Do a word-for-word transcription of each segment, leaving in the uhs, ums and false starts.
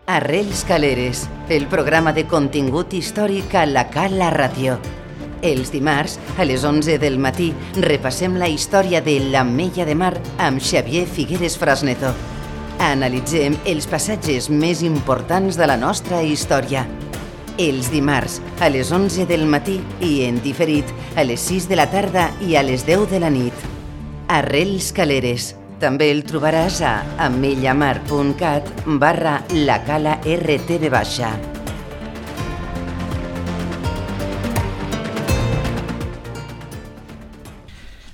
Arrels Caleres, el programa de contingut històric a la Cala Ràdio. Els dimarts, a les onze del matí, repassem la història de l'Ametlla de Mar amb Xavier Figueres Frasneto. Analitzem els passatges més importants de la nostra història. Els dimarts, a les onze del matí i en diferit, a les sis de la tarda i a les deu de la nit. Arrels Caleres. També el trobaràs a amellamar.cat barra la cala rtv baixa.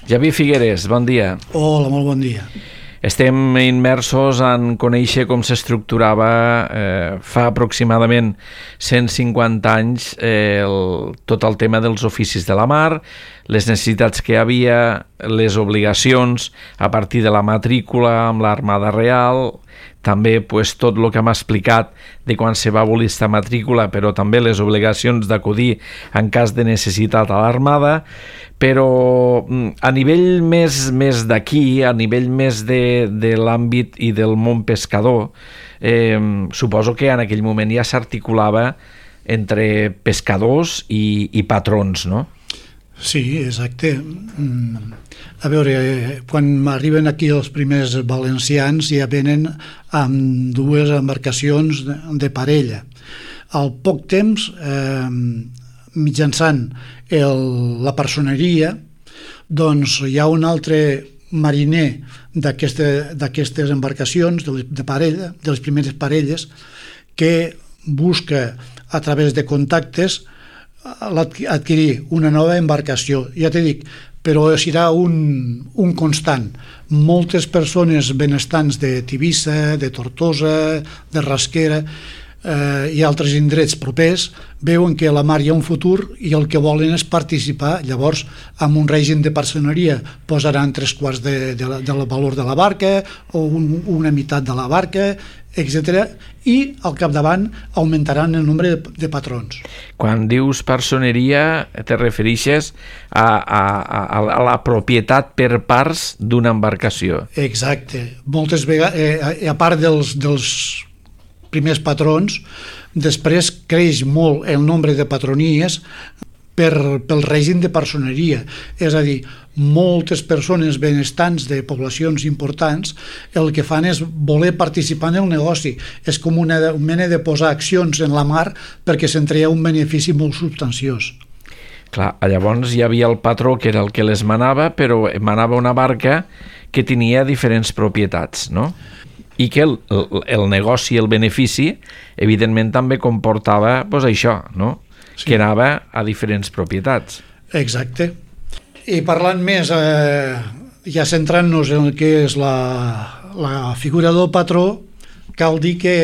Xavier Figueres, bon dia. Hola, molt bon dia. Estem immersos en conèixer com s'estructurava eh, fa aproximadament cent cinquanta anys eh, el, tot el tema dels oficis de la mar, les necessitats que hi havia, les obligacions a partir de la matrícula amb l'Armada Real, també pues, tot el que m'ha explicat de quan se va abolir esta matrícula, però també les obligacions d'acudir en cas de necessitat a l'Armada, però a nivell més, més d'aquí, a nivell més de, de l'àmbit i del món pescador, eh, suposo que en aquell moment ja s'articulava entre pescadors i, i patrons, no? Sí, exacte. A veure, quan arriben aquí els primers valencians ja venen amb dues embarcacions de, de parella. Al poc temps, eh, mitjançant el, la personeria, doncs hi ha un altre mariner d'aqueste, d'aquestes embarcacions de, de parella, de les primeres parelles, que busca a través de contactes adquirir una nova embarcació. Ja t'he dit, però serà un, un constant. Moltes persones benestants de Tivissa, de Tortosa, de Rasquera eh, i altres indrets propers veuen que a la mar hi ha un futur i el que volen és participar. Llavors, amb un règim de parceneria posaran tres quarts de, de, la, del valor de la barca o un, una meitat de la barca, etcètera, i al capdavant augmentaran el nombre de, de patrons. Quan dius personeria te refereixes a, a, a, a la propietat per parts d'una embarcació. Exacte. Moltes vegades, eh, a part dels, dels primers patrons, després creix molt el nombre de patronies per, pel règim de personeria. És a dir, moltes persones benestants de poblacions importants el que fan és voler participar en el negoci. És com una mena de posar accions en la mar perquè se'n treia un benefici molt substanciós. Clar, llavors hi havia el patró que era el que les manava, però manava una barca que tenia diferents propietats, no? I que el, el, el negoci, el benefici, evidentment també comportava pues, això, no? Sí. Que anava a diferents propietats. Exacte. I parlant més, eh, ja centrant-nos en el que és la, la figura del patró, cal dir que,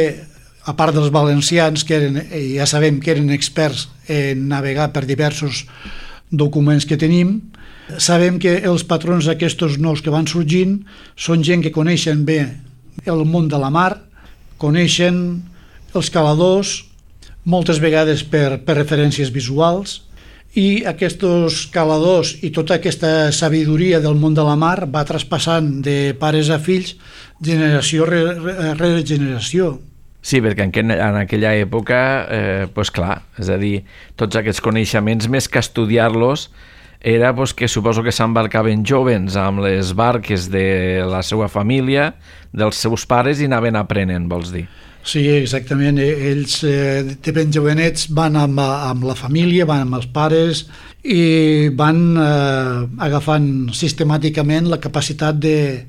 a part dels valencians, que eren, ja sabem que eren experts en navegar per diversos documents que tenim, sabem que els patrons d'aquestos nous que van sorgint són gent que coneixen bé el món de la mar, coneixen els caladors, moltes vegades per, per referències visuals, i aquests caladors i tota aquesta sabidoria del món de la mar va traspassant de pares a fills generació rere generació. Sí, perquè en, en aquella època, eh, pues clar, és a dir, tots aquests coneixements, més que estudiar-los, era pues, que suposo que s'embarcaven jovens amb les barques de la seva família, dels seus pares, i anaven aprenent, vols dir? Sí, exactament. Ells eh, de ben jovenets van amb, amb la família, van amb els pares i van eh, agafant sistemàticament la capacitat de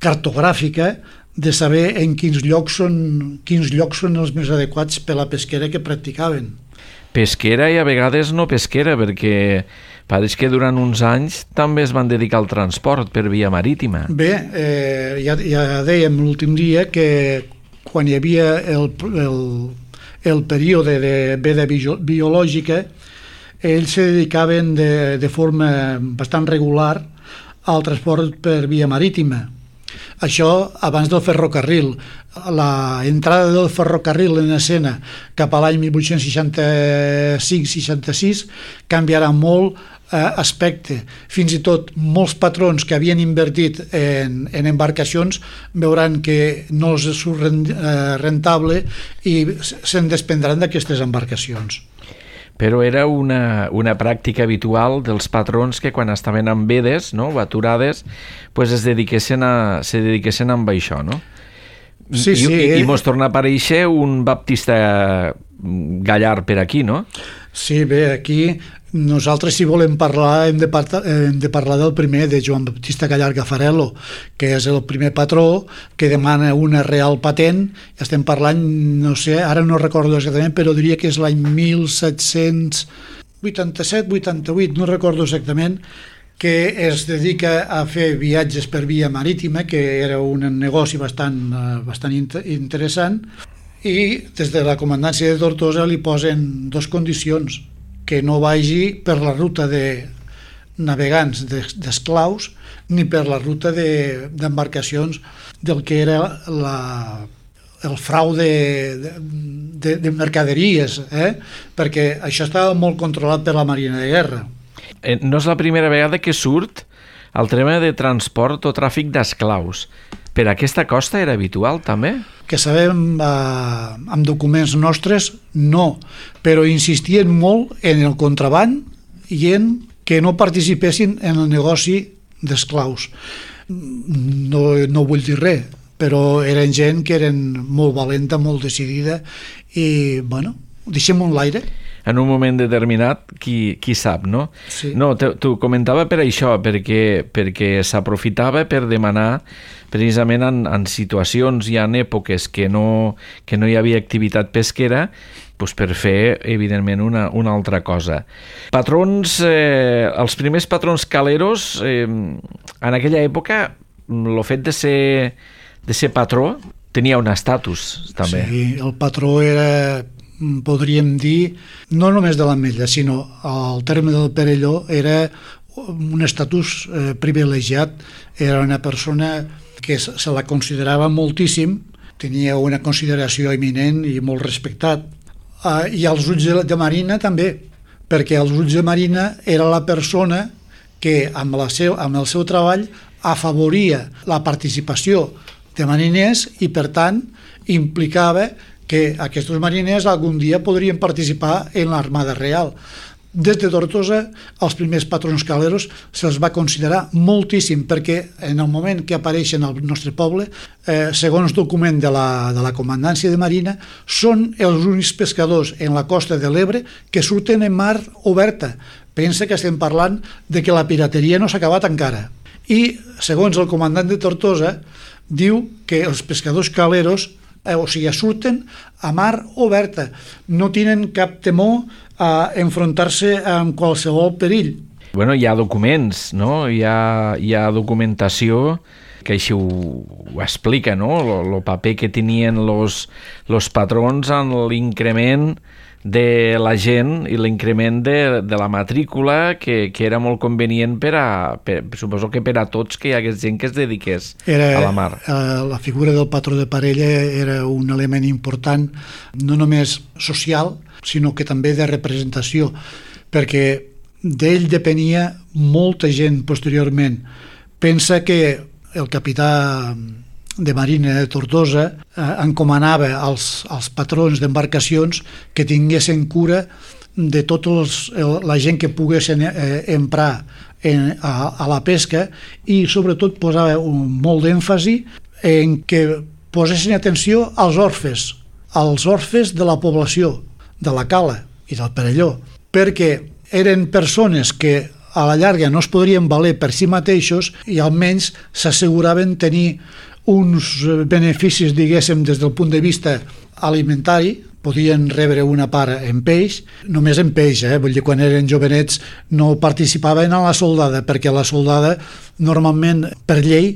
cartogràfica de saber en quins llocs són, quins llocs són els més adequats per la pesquera que practicaven. Pesquera i a vegades no pesquera, perquè pareix que durant uns anys també es van dedicar al transport per via marítima. Bé, eh, ja, ja dèiem l'últim dia que quan hi havia el, el, el període de veda biològica, ells se dedicaven de, de forma bastant regular al transport per via marítima. Això abans del ferrocarril. la entrada del ferrocarril en escena cap a l'any mil vuit-cents seixanta-cinc seixanta-sis canviarà molt eh, aspecte. Fins i tot molts patrons que havien invertit en, en embarcacions veuran que no els surt rentable i se'n desprendran d'aquestes embarcacions. Però era una, una pràctica habitual dels patrons que quan estaven en vedes, no, o aturades, pues es dediquessin a, se dediquessin amb això, no? Sí, I, sí. I, i mos torna a aparèixer un baptista Gallard per aquí, no? Sí, bé, aquí nosaltres si volem parlar hem de, parta, hem de parlar del primer, de Joan Baptista Gallard Gafarello, que és el primer patró que demana una real patent. Estem parlant, no sé, ara no recordo exactament, però diria que és l'any mil set-cents vuitanta-set vuitanta-vuit, no recordo exactament, que es dedica a fer viatges per via marítima, que era un negoci bastant, bastant interessant, i des de la comandància de Tortosa li posen dues condicions: que no vagi per la ruta de navegants d'esclaus ni per la ruta d'embarcacions de, del que era la, el frau de, de, de mercaderies, eh? Perquè això estava molt controlat per la Marina de Guerra. No és la primera vegada que surt el tema de transport o tràfic d'esclaus. Per aquesta costa era habitual, també? Que sabem eh, amb documents nostres, no, però insistien molt en el contraban i en que no participessin en el negoci d'esclaus. No, no vull dir res, però eren gent que eren molt valenta, molt decidida i, bueno, deixem-ho en l'aire. En un moment determinat, qui, qui sap, no? Sí. No, t'ho comentava per això, perquè, perquè s'aprofitava per demanar precisament en, en situacions i en èpoques que no, que no hi havia activitat pesquera, doncs per fer, evidentment, una, una altra cosa. Patrons, eh, els primers patrons caleros, eh, en aquella època, el fet de ser, de ser patró tenia un estatus, també. Sí, el patró era, podríem dir, no només de l'Ametlla, sinó al terme del Perelló era un estatus eh, privilegiat. Era una persona que se la considerava moltíssim, tenia una consideració eminent i molt respectat. Uh, I als ulls de, de Marina també, perquè als ulls de Marina era la persona que amb, la seu, amb el seu treball afavoria la participació de mariners i, per tant, implicava que aquests mariners algun dia podrien participar en l'Armada Real. Des de Tortosa, els primers patrons caleros se'ls va considerar moltíssim, perquè en el moment que apareixen al nostre poble, eh, segons document de la, de la Comandància de Marina, són els únics pescadors en la costa de l'Ebre que surten en mar oberta. Pensa que estem parlant de que la pirateria no s'ha acabat encara. I, segons el comandant de Tortosa, diu que els pescadors caleros, eh, o sigui, surten a mar oberta, no tenen cap temor a enfrontar-se amb qualsevol perill. Bueno, hi ha documents, no? Hi ha, hi ha documentació que així ho, ho explica, no? El paper que tenien los, los patrons en l'increment de la gent i l'increment de, de la matrícula, que, que era molt convenient per a, per, suposo que per a tots, que hi hagués gent que es dediqués era, a la mar. Eh, la figura del patró de parella era un element important, no només social, sinó que també de representació, perquè d'ell depenia molta gent posteriorment. Pensa que el capità de Marina de Tortosa eh, encomanava als, als patrons d'embarcacions que tinguessin cura de tota la gent que poguessin eh, emprar en, a, a la pesca, i sobretot posava un, molt d'èmfasi en que posessin atenció als orfes, als orfes de la població, de la Cala i del Perelló, perquè eren persones que a la llarga no es podrien valer per si mateixos i almenys s'asseguraven tenir uns beneficis, diguéssim, des del punt de vista alimentari. Podien rebre una part en peix, només en peix, eh? Vull dir, quan eren jovenets no participaven a la soldada, perquè la soldada normalment, per llei,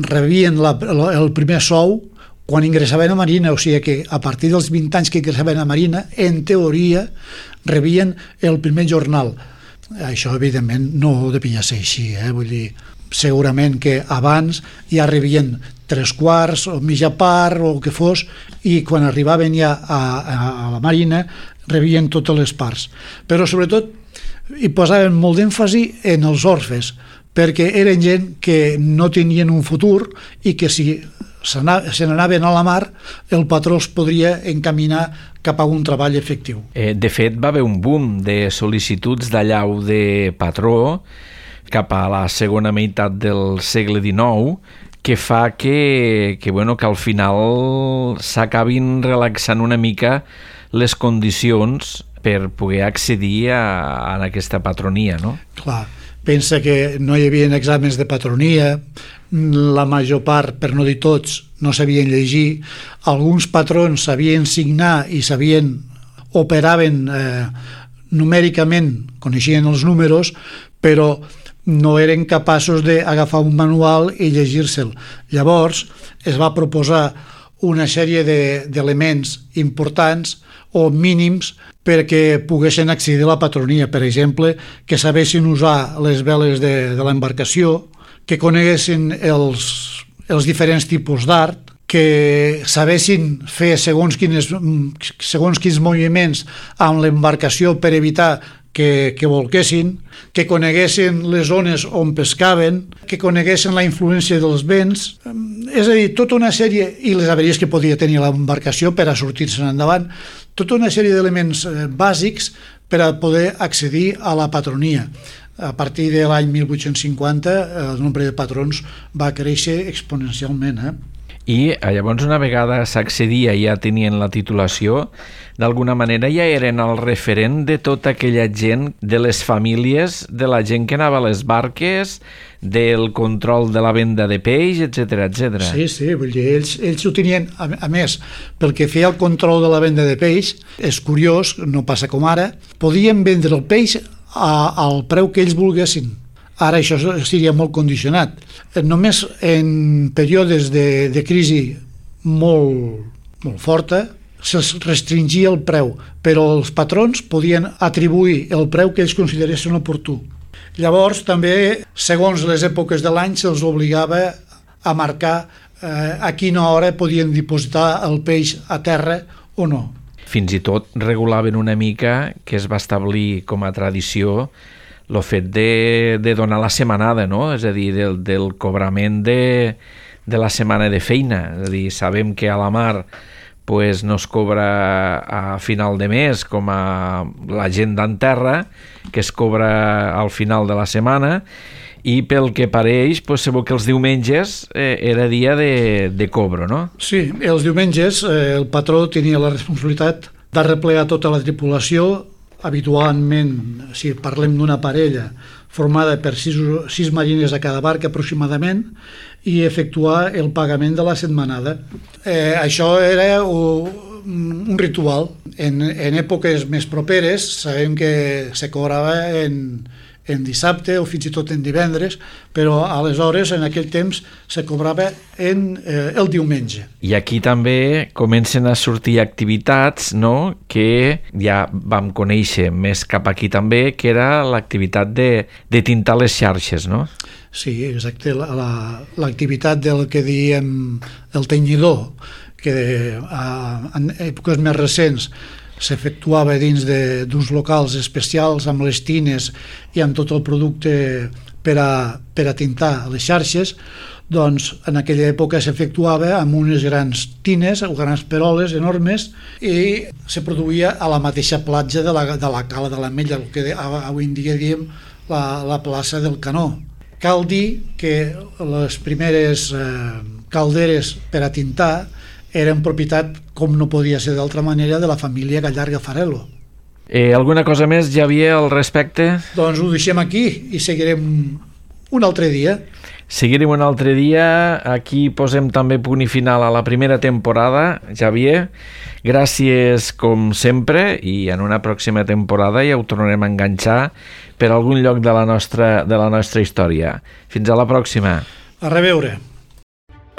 rebien la, el primer sou quan ingressaven a Marina, o sigui que a partir dels vint anys que ingressaven a Marina, en teoria, rebien el primer jornal. Això, evidentment, no devia ser així, eh? Vull dir, segurament que abans ja rebien tres quarts o mitja part o el que fos, i quan arribaven ja a, a, a la Marina rebien totes les parts. Però sobretot hi posaven molt d'èmfasi en els orfes, perquè eren gent que no tenien un futur i que si se n'anaven a la mar el patró els podria encaminar cap a un treball efectiu. Eh, de fet, va haver un boom de sol·licituds d'allau de patró cap a la segona meitat del segle dinou, que fa que, que, bueno, que al final s'acabin relaxant una mica les condicions per poder accedir a, a aquesta patronia, no? Clar, pensa que no hi havia exàmens de patronia, la major part, per no dir tots, no sabien llegir, alguns patrons sabien signar i sabien, operaven eh, numèricament, coneixien els números, però no eren capaços d'agafar un manual i llegir-se'l. Llavors es va proposar una sèrie d'elements importants o mínims perquè poguessin accedir a la patronia. Per exemple, que sabessin usar les veles de, de l'embarcació, que coneguessin els, els diferents tipus d'art, que sabessin fer segons quins, segons quins moviments amb l'embarcació per evitar que, que volquessin, que coneguessin les zones on pescaven, que coneguessin la influència dels vents, és a dir, tota una sèrie, i les avaries que podia tenir l'embarcació per a sortir-se'n endavant, tota una sèrie d'elements bàsics per a poder accedir a la patronia. A partir de l'any mil vuit-cents cinquanta el nombre de patrons va créixer exponencialment. Eh? I llavors, una vegada s'accedia i ja tenien la titulació, d'alguna manera ja eren el referent de tota aquella gent, de les famílies, de la gent que anava a les barques, del control de la venda de peix, etcètera, etcètera. Sí, sí, vull dir, ells, ells ho tenien, a, a més, pel que feia el control de la venda de peix, és curiós, no passa com ara, podien vendre el peix a, al preu que ells volguessin. Ara això seria molt condicionat. Només en períodes de, de crisi molt, molt forta se'ls restringia el preu, però els patrons podien atribuir el preu que ells consideressin oportú. Llavors també, segons les èpoques de l'any, se'ls obligava a marcar eh, a quina hora podien dipositar el peix a terra o no. Fins i tot regulaven una mica, que es va establir com a tradició, el fet de, de donar la setmanada, no? És a dir, del, del cobrament de, de la setmana de feina. És a dir, sabem que a la mar pues, no es cobra a final de mes com a la gent d'en terra, que es cobra al final de la setmana, i pel que pareix, pues, sabeu que els diumenges eh, era dia de, de cobro, no? Sí, els diumenges eh, el patró tenia la responsabilitat d'arreplegar tota la tripulació. Habitualment, si parlem d'una parella formada per sis, sis marines a cada barca aproximadament, i efectuar el pagament de la setmanada. Eh, això era un, un ritual. En, en èpoques més properes sabem que se cobrava en, en dissabte o fins i tot en divendres, però aleshores en aquell temps se cobrava en eh, el diumenge. I aquí també comencen a sortir activitats, no?, que ja vam conèixer més cap aquí també, que era l'activitat de, de tintar les xarxes, no? Sí, exacte, l'activitat del que diem el tenyidor, que a, en èpoques més recents s'efectuava dins d'uns locals especials amb les tines i amb tot el producte per a, per a tintar les xarxes. Doncs en aquella època s'efectuava amb unes grans tines o grans peroles enormes i se produïa a la mateixa platja de la, de la cala de l'Ametlla, el que avui en dia diem la, la plaça del Canó. Cal dir que les primeres eh, calderes per a tintar eren propietat, com no podia ser d'altra manera, de la família Gallarga Farelo. Eh, alguna cosa més, Xavier, al respecte? Doncs ho deixem aquí i seguirem un altre dia. Seguirem un altre dia. Aquí posem també punt i final a la primera temporada. Xavier, gràcies com sempre, i en una pròxima temporada ja ho tornarem a enganxar per algun lloc de la nostra, de la nostra història. Fins a la pròxima. A reveure.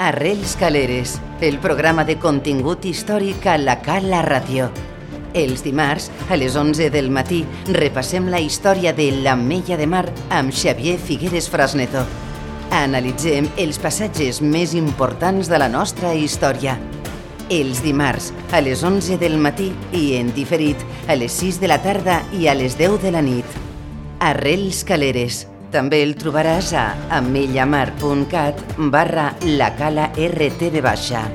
Arrels Caleres, el programa de contingut històric a la Cala Ràdio. Els dimarts, a les onze del matí, repassem la història de l'Ametlla de Mar amb Xavier Figueres Frasneto. Analitzem els passatges més importants de la nostra història. Els dimarts a les onze del matí i en diferit a les sis de la tarda i a les deu de la nit. Arrels Caleres. També el trobaràs a amellamar punt cat barra la cala R T V baixa.